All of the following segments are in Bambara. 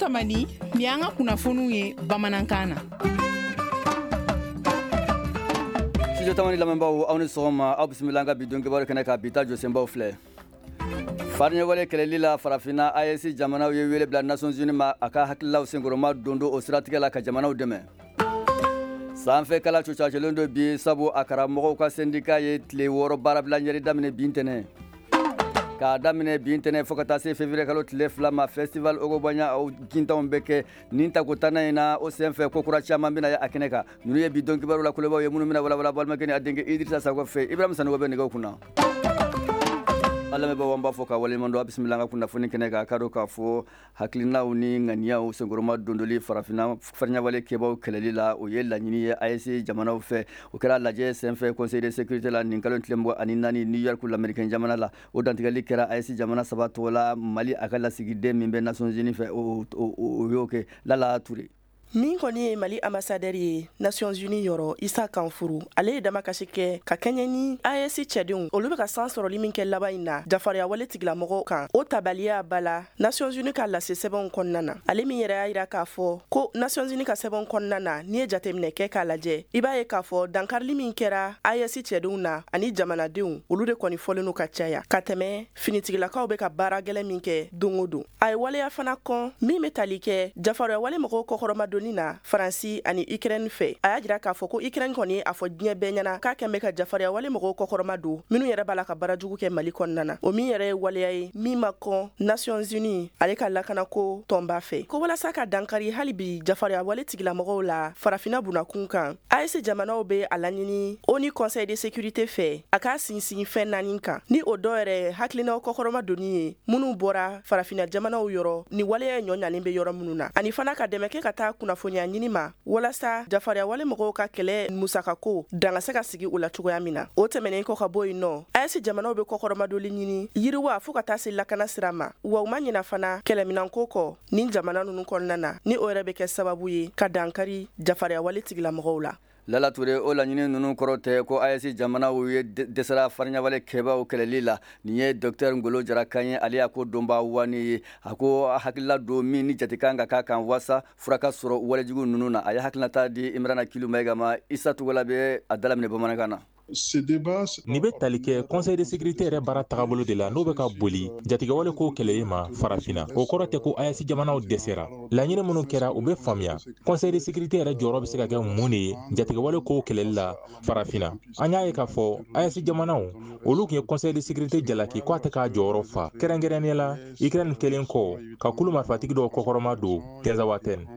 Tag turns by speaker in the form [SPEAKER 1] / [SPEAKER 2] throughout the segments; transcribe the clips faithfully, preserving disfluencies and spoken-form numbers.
[SPEAKER 1] Tamani, nin y'an ka kunnafoniw ye bamanankan na.
[SPEAKER 2] Studio Tamani lamɛnbaaw, aw ni sɔgɔma, aw bisimila an ka bi don kibaru kɛnɛ kan. Bi ta jɔsenbaw filɛ: Fariɲɛwale kɛlɛli la Farafinna, A E S jamanaw ye wele bila Nations Unies ma, a ka hakililaw senkɔrɔma don don o siratigɛ la ka jamanaw dɛmɛ. Sanfɛ kala cucacelen don bi, sabu a karamɔgɔw ka syndicat ye tile wɔɔrɔ baarabila ɲɛri daminɛ bi ntɛnɛn. K'a daminɛ bi ntɛnɛn fo ka taa se février kalo tile fila ma, Festival Ogobanya o gintanw bɛ kɛ nin tako tannan in na. O senfɛ, ko kura caman bɛna ye a kɛnɛ kan. Ninnu ye bi don kibaru la kulebaw ye minnu bɛna walawala balimakɛ ni a denkɛ Idrissa Sakɔ fɛ. Ibrahima Sanogo bɛ nɛgɛw kunna. An lamɛnbaaw, an b'a fɔ ka waleɲuman dɔn. A bisimila an ka kunnafoni kɛnɛ kan. K'a dɔn k'a fɔ hakilinaw ni ŋaniyaw senkɔrɔma dondoli Farafinna fariɲɛwale kɛbaw kɛlɛli la, o ye laɲini ye A E S jamanaw fɛ. O kɛra lajɛ senfɛ Conseil de sécurité la nin kalo tile mugan ani naani New York, lamɛrikɛn jamana la. O dantigɛli kɛra A E S jamana saba tɔgɔ la. Mali, a ka lasigiden min bɛ Nations Unies fɛ, o y'o kɛ. Lala Ture.
[SPEAKER 3] Min kɔni ye Mali ambassadeur ye Nations Unies yɔrɔ, Isa Kanfuru, ale ye damakasi kɛ ka kɛɲɛ ni A E S cɛdenw, olu bɛ ka san sɔrɔli min kɛ laban in na jafariya wale tigilamɔgɔw kan, o tabaliya ba la Nations Unies ka lase sɛbɛnw kɔnɔna na. Ale min yɛrɛ y'a yira k'a fɔ ko Nations Unies ka sɛbɛnw kɔnɔna na, n'i ye jateminɛ kɛ k'a lajɛ, i b'a ye k'a fɔ dankarili min kɛra A E S cɛdenw na ani jamanadenw, olu de kɔni fɔlen no ka caya ka tɛmɛ finitigilakaw bɛ ka baara gɛlɛn min kɛ don o don. A ye waleya fana kɔn min bɛ tali kɛ jafariya wale mɔgɔw kɔkɔrɔmadonni na Faransi ani Ukraine fɛ. A y'a jira k'a fɔ ko Ukraine kɔni a fɔ diɲɛ bɛɛ ɲɛna k'a kɛn bɛ ka jafariya wale mɔgɔw kɔkɔrɔma don, minnu yɛrɛ b'a la ka baara jugu kɛ Mali kɔnɔna na. O min yɛrɛ ye waleya ye min ma kɔn Nations Unies ale ka lakanako tɔnba fɛ, ko walasa ka dankari hali bi jafariya wale tigilamɔgɔw la Farafina bunakun kan, A E S jamanaw bɛ a laɲini ONU Conseil de sécurité fɛ, a k'a sinsin fɛn naani kan, ni o dɔ yɛrɛ hakilinaw kɔkɔrɔma donni ye minnu bɔra Farafina jamanaw yɔrɔ ni waleya ɲɔ ɲalen bɛ yɔrɔ minnu na, ani fana ka dɛmɛ kɛ ka taa kunnafoniya ɲini ma walasa jafariya wale mɔgɔw ka kɛlɛ musakako dan ka se ka sigi u la cogoya min na. O tɛmɛnen kɔ ka bɔ yen nɔ, A E S jamanaw bɛ kɔkɔrɔmadoli ɲini yiriwa fɔɔ ka taa se lakana sira ma, wa u ma ɲina fana kɛlɛminanko kɔ ni jamana ninnu kɔnɔna na, ni o yɛrɛ bɛ kɛ sababu ye ka dankari jafariya wale tigilamɔgɔw la.
[SPEAKER 2] Lala Ture, o laɲini ninnu kɔrɔ tɛ ko A E S jamanaw ye dɛsɛra fariɲawale kɛbaw kɛlɛli la. Nin ye Docteur Ngolo Jara kan ye, ale y'a ko donba wani ye. A ko hakilila don min ni jate kan ka k'a kan waasa fura ka sɔrɔ walejugu ninnu na. A ye hakilinata di Imrana Kilu Mayiga ma. Isa Togola bɛ a dalaminɛ bamanankan na.
[SPEAKER 4] Nin bɛ tali kɛ Conseil de sécurité yɛrɛ baara tagabolo de la, n'o bɛ ka boli jatigɛwale ko kɛlɛli ma Farafinna. O kɔrɔ tɛ ko A E S jamanaw dɛsɛra. Laɲini minnu kɛra, u bɛ faamuya. Conseil de sécurité yɛrɛ jɔyɔrɔ bɛ se ka kɛ mun de ye jatigɛwale ko kɛlɛli la Farafinna? An y'a ye k'a fɔ A E S jamanaw, olu tun ye Conseil de sécurité jalaki k'a tɛ k'a jɔyɔrɔ fa, kɛrɛnkɛrɛnnenya la Ukraine kɛlen kɔ ka kulu marifatigi dɔw kɔkɔrɔma don Tinzawatɛn.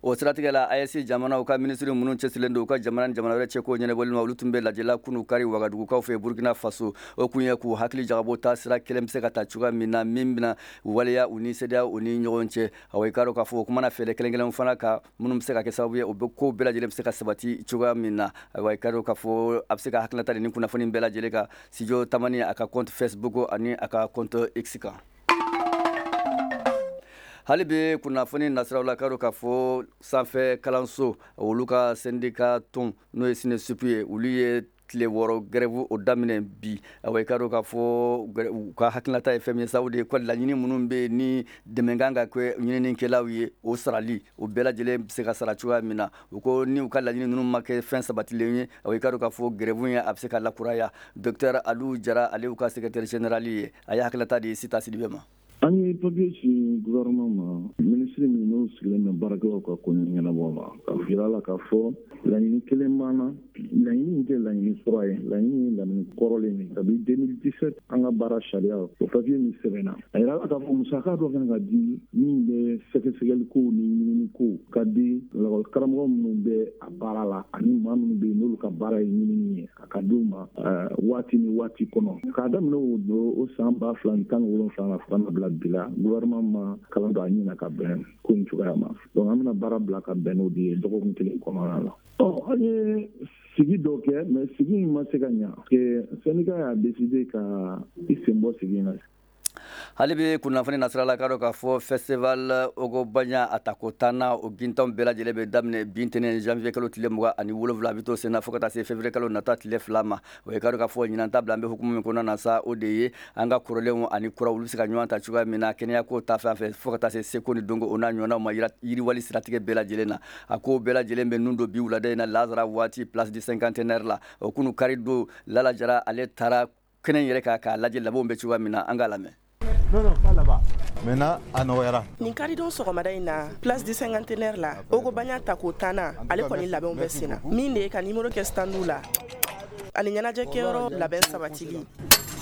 [SPEAKER 2] O siratigɛ la, A E S jamanaw ka minisiri minnu cɛsirilen don u ka jamana ni jamana wɛrɛ cɛko ɲɛnabɔli ma, olu tun bɛ lajɛla kunu kari Wagadugukaw fɛ Burkina Faso. O kun ye k'u hakili jagabɔ taa sira kelen bɛ se ka ta cogoya min na min bɛna waleya u ni CEDEAO u ni ɲɔgɔn cɛ. Awa, i k'a dɔn k'a fɔ o kumana fɛɛrɛ kelen kelenw fana kan minnu bɛ se ka kɛ sababu ye o bɛ ko bɛɛ lajɛlen bɛ se ka sabati cogoya min na. Ayiwa, i k'a dɔn k'a fɔ a bɛ se ka hakilinata di ni kunnafoni bɛɛ lajɛlen kan Studio Tamani a ka compte Facebook ani a ka compte X kan. Hali bi kunnafoni nasiraw la, k'a dɔn k'a fɔ sanfɛ kalanso olu ka syndicat tɔn, n'o ye SYNESUP ye, olu ye tile wɔɔrɔ grève o daminɛ bi. Awa, i k'a dɔn k'a fɔ u ka hakilinata ye fɛn min ye sa, o de ye ko laɲini minnu bɛ yen ni dɛmɛ kan ka kɛ ɲininikɛlaw ye, o sarali o bɛɛ lajɛlen bɛ se ka sara cogoya min na. U ko ni u ka laɲini ninnu ma kɛ fɛn sabatilen ye, awa, i k'a dɔn k'a fɔ grève in a bɛ se ka lakuraya. Docteur Aliou Jara, ale y'u ka secrétaire général ye, a ye hakilinata di Sita Sidibe ma.
[SPEAKER 5] An ye papier ci gouvernement ma, ministre min n'o sigilen bɛ baarakɛlaw ka ko ɲɛnabɔ ma, ka yira la k'a fɔ laɲini kelen b'an na. Laɲini in tɛ laɲini kura ye, laɲini ye laɲini kɔrɔlen de. Kabi deux mille dix-sept, an ka baara sariya, o papier min sɛbɛnna, a yira la k'a fɔ musaka dɔ kan ka di min bɛ sɛgɛsɛgɛli kow ni ɲinini kow ka di lakɔli karamɔgɔ minnu bɛ a baara la ani maa minnu bɛ yen n'olu ka baara ye ɲinini ye, a ka d'u ma waati ni waati kɔnɔ. K'a daminɛ o o san ba fila ni tan ni wolonwula la fo ka na bila bi la, gouvernement ma kalan don a ɲin na ka bɛn ko in cogoya ma. Donc an bɛna baara bila ka bɛn n'o de ye dɔgɔkun kelen kɔnɔna la. Ɔ, an ye sigi dɔ kɛ, mais sigi in ma se ka ɲa parce que syndicat y'a décidé ka i sen bɔ sigi in na.
[SPEAKER 2] Hali bi kunnafoni nasira la, k'a dɔn k'a fɔ festival Ogobagna a tako tanna, o gintanw bɛɛ lajɛlen bɛ daminɛ bi ntɛnɛn janvier kalo tile mugan ani wolonwula, a bɛ to senna fo ka taa se février kalo nata tile fila ma. O ye k'a dɔn k'a fɔ ɲinan ta bila an bɛ hukumu min kɔnɔna na sa, o de ye an ka kɔrɔlenw ani kuraw, olu bɛ se ka ɲɔgɔn ta cogoya min na kɛnɛya ko ta fan fɛ, fo ka taa se seko ni dɔnko, o n'a ɲɔgɔnnaw ma, yiriwali siratigɛ bɛɛ lajɛlen na. A ko bɛɛ lajɛlen bɛ nun don bi wulada in na lazara waati, place du Cinquantenaire la. O kunu kari don, Lala Jara, ale taara kɛnɛ in yɛrɛ kan k'a lajɛ labɛnw bɛ cogoya min na. An k'a lamɛn.
[SPEAKER 6] Non, non, pas là-bas. Maintenant, a nɔgɔyara.
[SPEAKER 3] Nin karidon sɔgɔmada in na, place du Cinquantenaire la, Ogobagna tako tanna, ale kɔni labɛnw bɛ sen na, min de ye ka nimoro kɛ standw la ani ɲɛnajɛkɛyɔrɔ labɛn sabatili,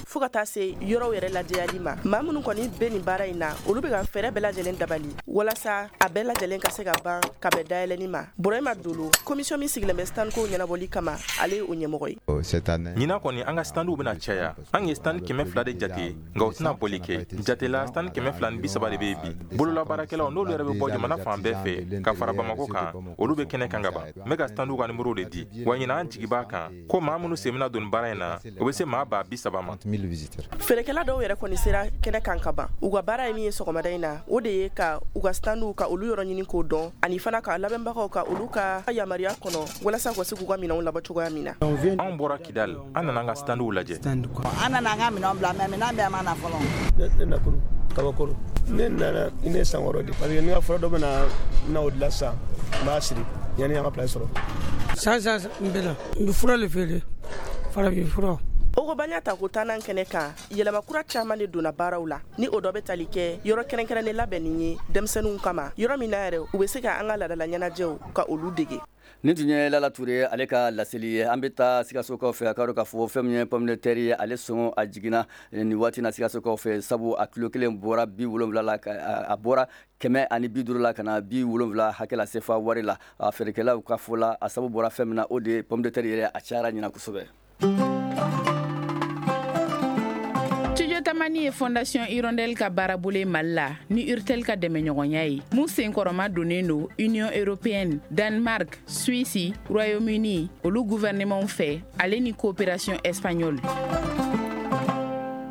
[SPEAKER 3] fo ka taa se yɔrɔw yɛrɛ lajɛyali ma. Maa minnu kɔni bɛ nin baara in na, olu bɛ ka fɛɛrɛ bɛɛ lajɛlen dabali walasa a bɛɛ lajɛlen ka se ka ban ka bɛn dayɛlɛni ma. Burahima Dolo, commission min sigilen bɛ stand ko ɲɛnabɔli kama, ale ye o ɲɛmɔgɔ ye.
[SPEAKER 4] Ɲinan kɔni, an ka standw bɛna caya. An ye stand kɛmɛ fila de jate, nka o tɛna bɔli kɛ jatela. Stand kɛmɛ fila ni bi saba de bɛ yen bi. Bololabaarakɛlaw, n'olu yɛrɛ bɛ bɔ jamana fan bɛɛ fɛ ka fara Bamako kan, olu bɛ kɛnɛ kan ka ban. N bɛ ka standw ka nimoro de di wa. Ɲinan, an jigi b'a kan ko maa minnu sen bɛna don baara in na, o bɛ se maa ba bi saba ma.
[SPEAKER 3] Feerekɛla dɔw yɛrɛ kɔni sera kɛnɛ kan ka ban. U ka baara ye min ye sɔgɔmada in na, o de ye ka u ka standw ka olu yɔrɔ ɲini k'o dɔn, ani fana ka labɛnbagaw ka olu ka yamaruya kɔnɔ, walasa ka se k'u ka minɛnw labɔ cogoya min na.
[SPEAKER 4] Anw bɔra Kidal, an nana an ka standw lajɛ.
[SPEAKER 7] An nana an ka minɛnw bila, mais minɛn bɛɛ ma na fɔlɔ.
[SPEAKER 8] Ne nakuru kabakoro, ne nana ne san wɔɔrɔ de, parce que ni ka fura dɔ bɛ na na o dilan sisan, n b'a siri yanni an ka place sɔrɔ.
[SPEAKER 9] San san n bɛ na, n bɛ fura le feere, farafin fura.
[SPEAKER 3] Ogobagna tako tannan kɛnɛ kan, yɛlɛma kura caaman de donna baaraw la, ni o dɔ bɛ tali kɛ yɔrɔ kɛrɛnkɛrɛnnen labɛnni ye denmisɛnninw kama, yɔrɔ min na yɛrɛ u bɛ se ka an ka ladala ɲɛnajɛw ka olu dege.
[SPEAKER 2] Nin tun ye Lala Ture, ale ka laseli ye. An bɛ taa Sikasokaw fɛ. A ka dɔn k'a fɔ fɛn min ye pomme de terre ye, ale sɔngɔ a jiginna nin waati na Sikasokaw fɛ, sabu a kilo kelen bɔra bi wolonwula la, a bɔra kɛmɛ ani bi duuru la ka na bi wolonwula hakɛ la sefa wari la. A feerekɛlaw ka fɔ la, a sababu bɔra fɛn min na, o de ye pomme de terre yɛrɛ, a cayara ɲina kosɛbɛ.
[SPEAKER 1] Studio Tamani ye Fondation Hirondelle ka baarabolo ye Mali la ni Urtel ka dɛmɛɲɔgɔnya ye, mun senkɔrɔma donnen don Union européenne, Danemark, Suisse, Royaume-Uni, olu gouvernement fɛ, ale ni coopération espagnole.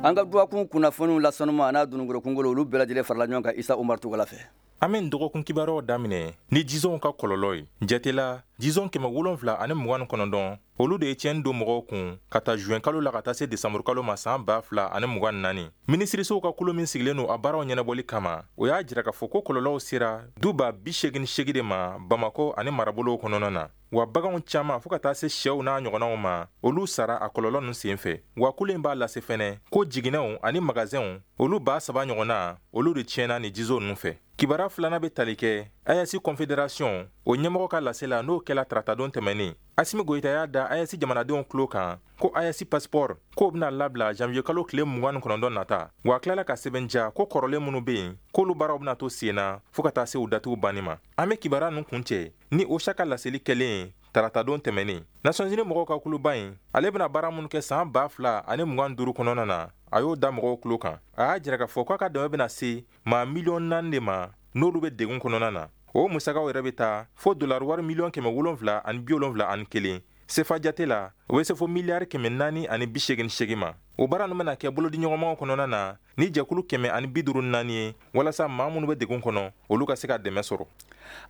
[SPEAKER 2] An ka dɔgɔkun kunnafoniw lasɔnuma a n'a dununkɔrɔ kungolo, olu bɛɛ lajɛlen farala ɲɔgɔn kan Isa Umar Tugala fɛ.
[SPEAKER 4] An bɛ nin dɔgɔkun kibaruyaw daminɛ ni jizɔnw ka kɔlɔlɔ ye. Jatela, jizɔn kɛmɛ wolonfila ani mugan ni kɔnɔntɔn, olu de ye tiɲɛni don mɔgɔw kun ka ta juin kalo la ka taa se desanburu kalo ma san ba fila ani mugan naani. Minisirisow ka kulu min sigilen don a baaraw ɲɛnabɔli kama, o y'a jira k'a fɔ ko kɔlɔlɔw sera du ba bi segin segi de ma Bamakɔ ani marabolow kɔnɔna na. Wa baganw caaman, fɔɔ ka taa se sɛw n'a ɲɔgɔnnaw ma, olu sara a kɔlɔlɔ ninnu sen fɛ. Wa kulu in b'a lase fɛnɛ ko jiginɛw ani magazɛnw, olu ba saba ɲɔgɔnna, olu de tiɲɛna ni jizo ninnu fɛ. Kibaruya filanan bɛ tali kɛ A E S Confédération o ɲɛmɔgɔ ka lase la, n'o kɛla taratadon tɛmɛnen. Asimi Goyita y'a da A E S jamanadenw tulo kan ko A E S passeport k'o bɛna labila janvier kalo tile mugan ni kɔnɔntɔn nata. Wa a tilala ka sɛbɛnja ko kɔrɔlen minnu bɛ yen, k'olu baaraw bɛna to sen na fɔɔ ka taa se u datiw banni ma. An bɛ kibaruya ninnu kuncɛ ni OCHA ka laseli kɛlen taratadon tɛmɛnen. Nations Unies mɔgɔw ka kuluba in, ale bɛna baara minnu kɛ san ba fila ani mugan duuru kɔnɔna na, a y'o da mɔgɔw tulo kan. A y'a jira k'a fɔ k'a ka dɛmɛ bɛna se maa miliyɔn naani de ma, n'olu bɛ degun kɔnɔna na. O musakaw yɛrɛ bɛ taa fo dolari wari miliyɔn kɛmɛ wolonfila ani bi wolonfila ani kelen. Sefa jate la, o bɛ se fo miliyari kɛmɛ naani ani bi seegin seegin ma. O baara ninnu bɛna kɛ bolodiɲɔgɔnmaw kɔnɔna na ni jɛkulu kɛmɛ ani bi duuru naani ye, walasa maa minnu bɛ degun kɔnɔ, olu ka se ka dɛmɛ sɔrɔ.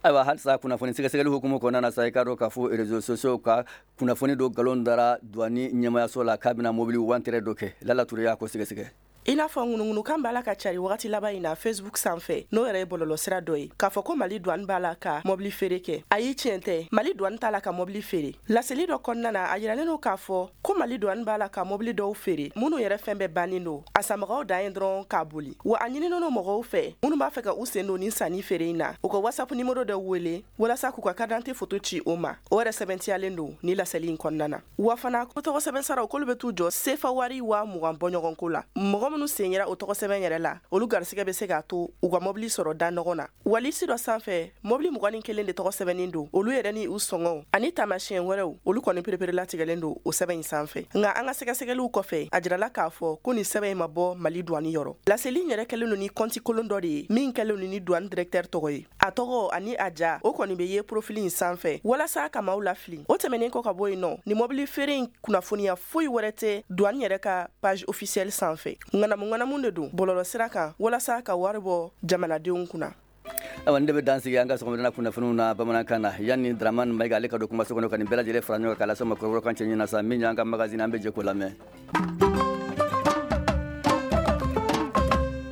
[SPEAKER 2] Ayiwa, halisa kunnafoni sɛgɛsɛgɛli hukumu kɔnɔna na sa, i k'a dɔn k'a fɔ réseaux sociaux ka kunnafoni dɔ nkalon dara douane ɲɛmayaso la k'a bɛna mobili wantɛrɛ dɔ kɛ. Lala Ture y'a ko sɛgɛsɛgɛ.
[SPEAKER 3] I n'a fɔ ŋunuŋunukan b'a la ka cari wagati laban in na Facebook sanfɛ, n'o yɛrɛ ye bɔlɔlɔsira dɔ ye, k'a fɔ ko Mali douane b'a la ka mɔbili feere kɛ. Ayi, tiɲɛ tɛ, Mali douane t'a la ka mɔbili feere. Laseli dɔ kɔnɔna na, a yiralen don k'a fɔ ko Mali douane b'a la ka mɔbili dɔw feere minnu yɛrɛ fɛn bɛɛ bannen don, a sanbagaw dan ye dɔrɔn k'a boli. Wa a ɲininen don mɔgɔw fɛ minnu b'a fɛ ka u sen don nin sanni feere in na, u ka WhatsApp nimero dɔ wele walasa k'u ka carte d'identité photo ci o ma. O yɛrɛ sɛbɛntiyalen don ni laseli in kɔnɔna na. Wa fana ko tɔgɔ sɛbɛn saraw, k'olu bɛ t'u jɔ sefa wari waa mugan bɔɲɔgɔnko la. Mɔgɔ minnu sen yera o tɔgɔ sɛbɛn yɛrɛ la, olu garisigɛ bɛ se k'a to u ka mɔbili sɔrɔ da nɔgɔ na. Walisi dɔ sanfɛ, mɔbili mugan ni kelen de tɔgɔ sɛbɛnnen don, olu yɛrɛ ni u sɔngɔw ani taamasiyɛn wɛrɛw, olu kɔni pereperelatigɛlen don o sɛbɛn in sanfɛ. Nka an ka sɛgɛsɛgɛliw kɔfɛ, a jirala k'a fɔ ko nin sɛbɛn in ma bɔ Mali douane yɔrɔ. Laseli in yɛrɛ kɛlen don ni kɔnti kolon dɔ de ye min kɛlen don ni douane directeur tɔgɔ ye. A tɔgɔ ani a ja, o kɔni bɛ ye profil in sanfɛ walasa ka maaw lafili. O tɛmɛnen kɔ ka bɔ yen nɔ, ni mɔbili feere in kunnafoniya foyi wɛrɛ tɛ douane yɛrɛ ka page officielle sanfɛ. Ŋanamuŋanamu de don bɔlɔlɔsira kan walasa ka wari bɔ jamanadenw kunna.
[SPEAKER 2] Ayiwa, ne bɛ dan sigi an ka sɔgɔmada kunnafoniw na bamanankan na. Yanni Dramane Mayiga ale ka don kumaso kɔnɔ ka nin bɛɛ lajɛlen fara ɲɔgɔn kan k'a lase ma kɔrɔbɔrɔkan cɛ ɲɛna sa, min y'an ka magazine, an bɛ jɛ k'o lamɛn.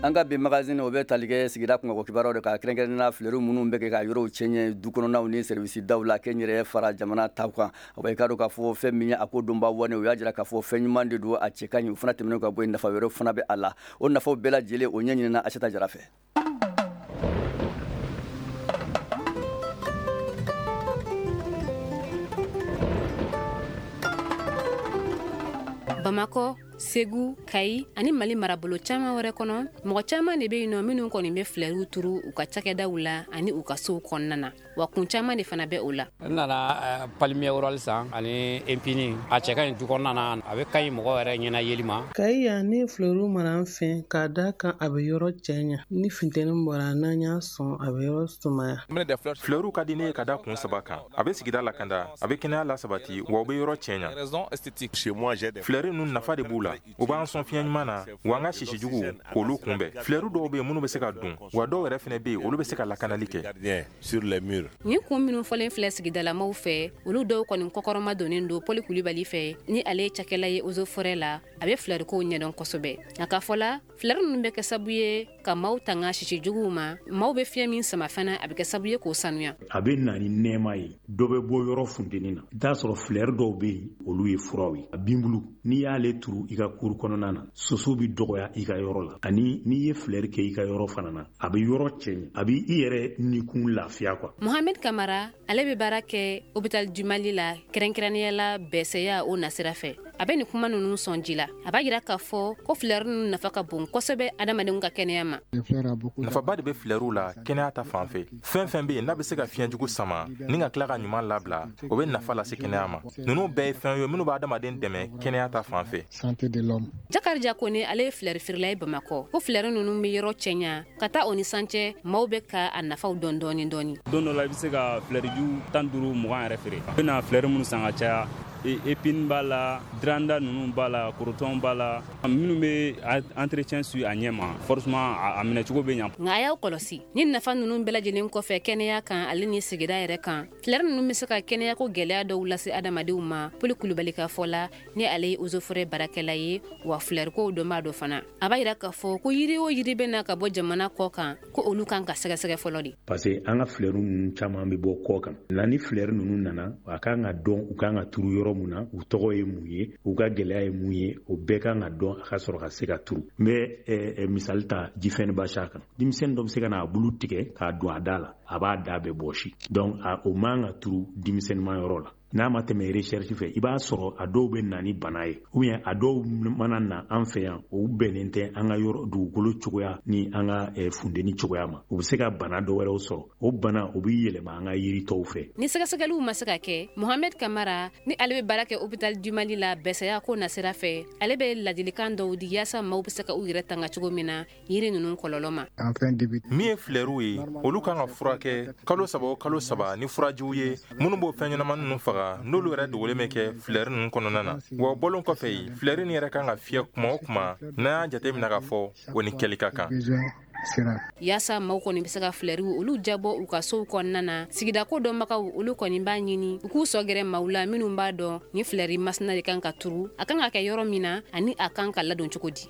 [SPEAKER 2] An ka bi magazine, o bɛ tali kɛ sigida kunkanko kibaruyaw de kan, kɛrɛnkɛrɛnnenya fleurs minnu bɛ kɛ ka yɔrɔw cɛɲɛ du kɔnɔnaw ni service daw la, kɛnyɛrɛye fara jamana taw kan. Wa i k'a dɔn k'a fɔ fɛn min ye a ko donba wani, o y'a jira k'a fɔ fɛn ɲuman de don, a cɛ ka ɲi. O fana tɛmɛnen ka bɔ yen, nafa wɛrɛw fana bɛ a la. O nafaw bɛɛ lajɛlen, o ɲɛɲinina Aseta Jara fɛ.
[SPEAKER 10] Bamakɔ, Segu, Kayi ani Mali marabolo caman wɛrɛ kɔnɔ, mɔgɔ caman de bɛ yen nɔ minnu kɔni bɛ filɛriw turu u ka cakɛdaw la ani u ka sow kɔnɔna na. Wa kun caman de fana bɛ o la.
[SPEAKER 11] N nana palmier royal san ani épine. A cɛ ka ɲi du kɔnɔna na, a bɛ ka ɲi mɔgɔ yɛrɛ ɲɛna yeli ma.
[SPEAKER 12] Kayi yan, ne filɛriw mara an fɛ k'a da kan a bɛ yɔrɔ cɛɲa. Ni funteni bɔra, n'an y'a sɔn, a bɛ yɔrɔ sumaya.
[SPEAKER 4] Filɛriw ka di ne ye ka da kun saba kan: a bɛ sigida lakanda, a bɛ kɛnɛya lasabati, wa u bɛ yɔrɔ cɛɲa. Filɛri ninnu, nafa de b'u la. U b'an sɔn fiɲɛ ɲuman na, wa an ka sisi jugu k'olu kunbɛn. Filɛri dɔw bɛ yen minnu bɛ se ka dun, wa dɔw yɛrɛ fana bɛ yen, olu bɛ se ka lakanali kɛ.
[SPEAKER 10] Nin kun minnu fɔlen filɛ sigidalamaw fɛ, olu dɔw kɔni kɔkɔrɔma donnen don Pɔli Kulibali fɛ, ni ale ye cakɛla ye eaux et forêts la. A bɛ filɛrikow ɲɛdɔn kosɛbɛ. Nka k'a fɔ la, filɛri ninnu bɛ kɛ sababu ye ka maaw tanga sisi juguw ma. Maaw bɛ fiɲɛ min sama fana, a bɛ kɛ sababu ye k'o sanuya.
[SPEAKER 13] A bɛ na ni nɛɛma ye, dɔ bɛ bɔ yɔrɔ funteni na. I t'a sɔrɔ filɛri dɔw bɛ yen, olu ye furaw ye. A binbulu, n'i y'ale turu i ka kuru kɔnɔna na, soso bɛ dɔgɔya i ka yɔrɔ la. Ani n'i ye filɛri kɛ i ka yɔrɔ fana na, a bɛ yɔrɔ cɛɲɛ, a bɛ i yɛrɛ nikun lafiya quoi.
[SPEAKER 10] Mohamed Kamara, ale bɛ baara kɛ Hôpital du Mali la, kɛrɛnkɛrɛnnenya la bɛsɛya o nasira fɛ. A bɛ nin kuma ninnu sɔn ji la. A b'a jira k'a fɔ ko filɛri ninnu nafa ka bon kosɛbɛ adamadenw ka kɛnɛya ma.
[SPEAKER 4] Nafaba de bɛ filɛriw la kɛnɛya ta fan fɛ. Fɛn fɛn bɛ yen n'a bɛ se ka fiɲɛ jugu sama ni ka tila ka ɲuman labila, o bɛ nafa lase kɛnɛya ma. Ninnu bɛɛ ye fɛn ye minnu bɛ adamaden dɛmɛ kɛnɛya ta fan fɛ.
[SPEAKER 10] Jakarija Kone, ale ye filɛri feerela ye Bamakɔ, ko filɛri ninnu bɛ yɔrɔ cɛɲa. Ka taa o ni san cɛ, maaw bɛ ka a nafaw dɔn dɔɔni dɔɔni.
[SPEAKER 14] Don dɔ la, i bɛ se ka filɛriju tan duuru, mugan yɛrɛ feere. I bɛna filɛri minnu san ka caya, épine b'a la, dranda ninnu b'a la, korotɔn b'a la, minnu bɛ entretien su a ɲɛ ma, forcément a minɛcogo bɛ ɲa.
[SPEAKER 10] Nka a y'aw kɔlɔsi, ni nafa ninnu bɛɛ lajɛlen kɔfɛ kɛnɛya kan ale ni sigida yɛrɛ kan, filɛri ninnu bɛ se ka kɛnɛyako gɛlɛya dɔw lase adamadenw ma. Poli Kulubali ka fɔ la, ni ale ye eaux et forêts baarakɛla ye, wa filɛrikow dɔnbaa dɔ fana, a b'a yira k'a fɔ ko yiri o yiri bɛ na ka bɔ jamana kɔ kan, ko olu kan ka sɛgɛsɛgɛ fɔlɔ de.
[SPEAKER 13] Parce que an ka filɛri ninnu caman bɛ bɔ kɔ kan na. Ni filɛri ninnu nana, a kan ka dɔn u kan ka turu yɔrɔ mun na, u tɔgɔ ye mun ye, u ka gɛlɛya ye mun ye, o bɛɛ kan ka dɔn a ka sɔrɔ ka se ka turu. N bɛ misali ta jifɛn basa kan. Denmisɛnnin dɔ bɛ se ka n'a bulu tigɛ k'a don a da la, a b'a da bɛɛ bɔsi. Donc o man ka turu denmisɛnninma yɔrɔ la n'a ma tɛmɛ recherche fɛ. I b'a sɔrɔ a dɔw bɛ na ni bana ye, ou bien a dɔw mana na an fɛ yan, o bɛnnen tɛ an ka yɔrɔ dugukolo cogoya ni an ka funteni cogoya ma. U bɛ se ka bana dɔ wɛrɛw sɔrɔ, o bana o bɛ yɛlɛma an ka yiri tɔw fɛ.
[SPEAKER 10] Ni sɛgɛsɛgɛliw ma se ka kɛ, Mohamed Kamara, ni ale bɛ baara kɛ Hôpital du Mali la bɛsɛya ko nasira fɛ, ale bɛ ladilikan dɔw di yaasa maaw bɛ se ka u yɛrɛ tanga cogo min na yiri ninnu kɔlɔlɔ ma.
[SPEAKER 4] Min ye filɛriw ye, olu kan ka furakɛ kalo saba o kalo saba ni furajiw ye minnu b'o fɛn ɲɛnama ninnu faga, n'olu yɛrɛ dogolen bɛ kɛ filɛri ninnu kɔnɔna na. Wa o bɔlen kɔfɛ yen, filɛri nin yɛrɛ kan ka fiyɛ kuma o kuma n'an y'a jateminɛ k'a fɔ o ni kɛli ka kan.
[SPEAKER 10] Yaasa maaw kɔni bɛ se ka filɛriw olu jabɔ u ka sow kɔnɔna na, sigidako dɔnbagaw olu kɔni b'a ɲini u k'u sɔ gɛrɛ maaw la minnu b'a dɔn ni filɛri masina de kan ka turu, a kan ka kɛ yɔrɔ min na, ani a kan ka ladon cogo di.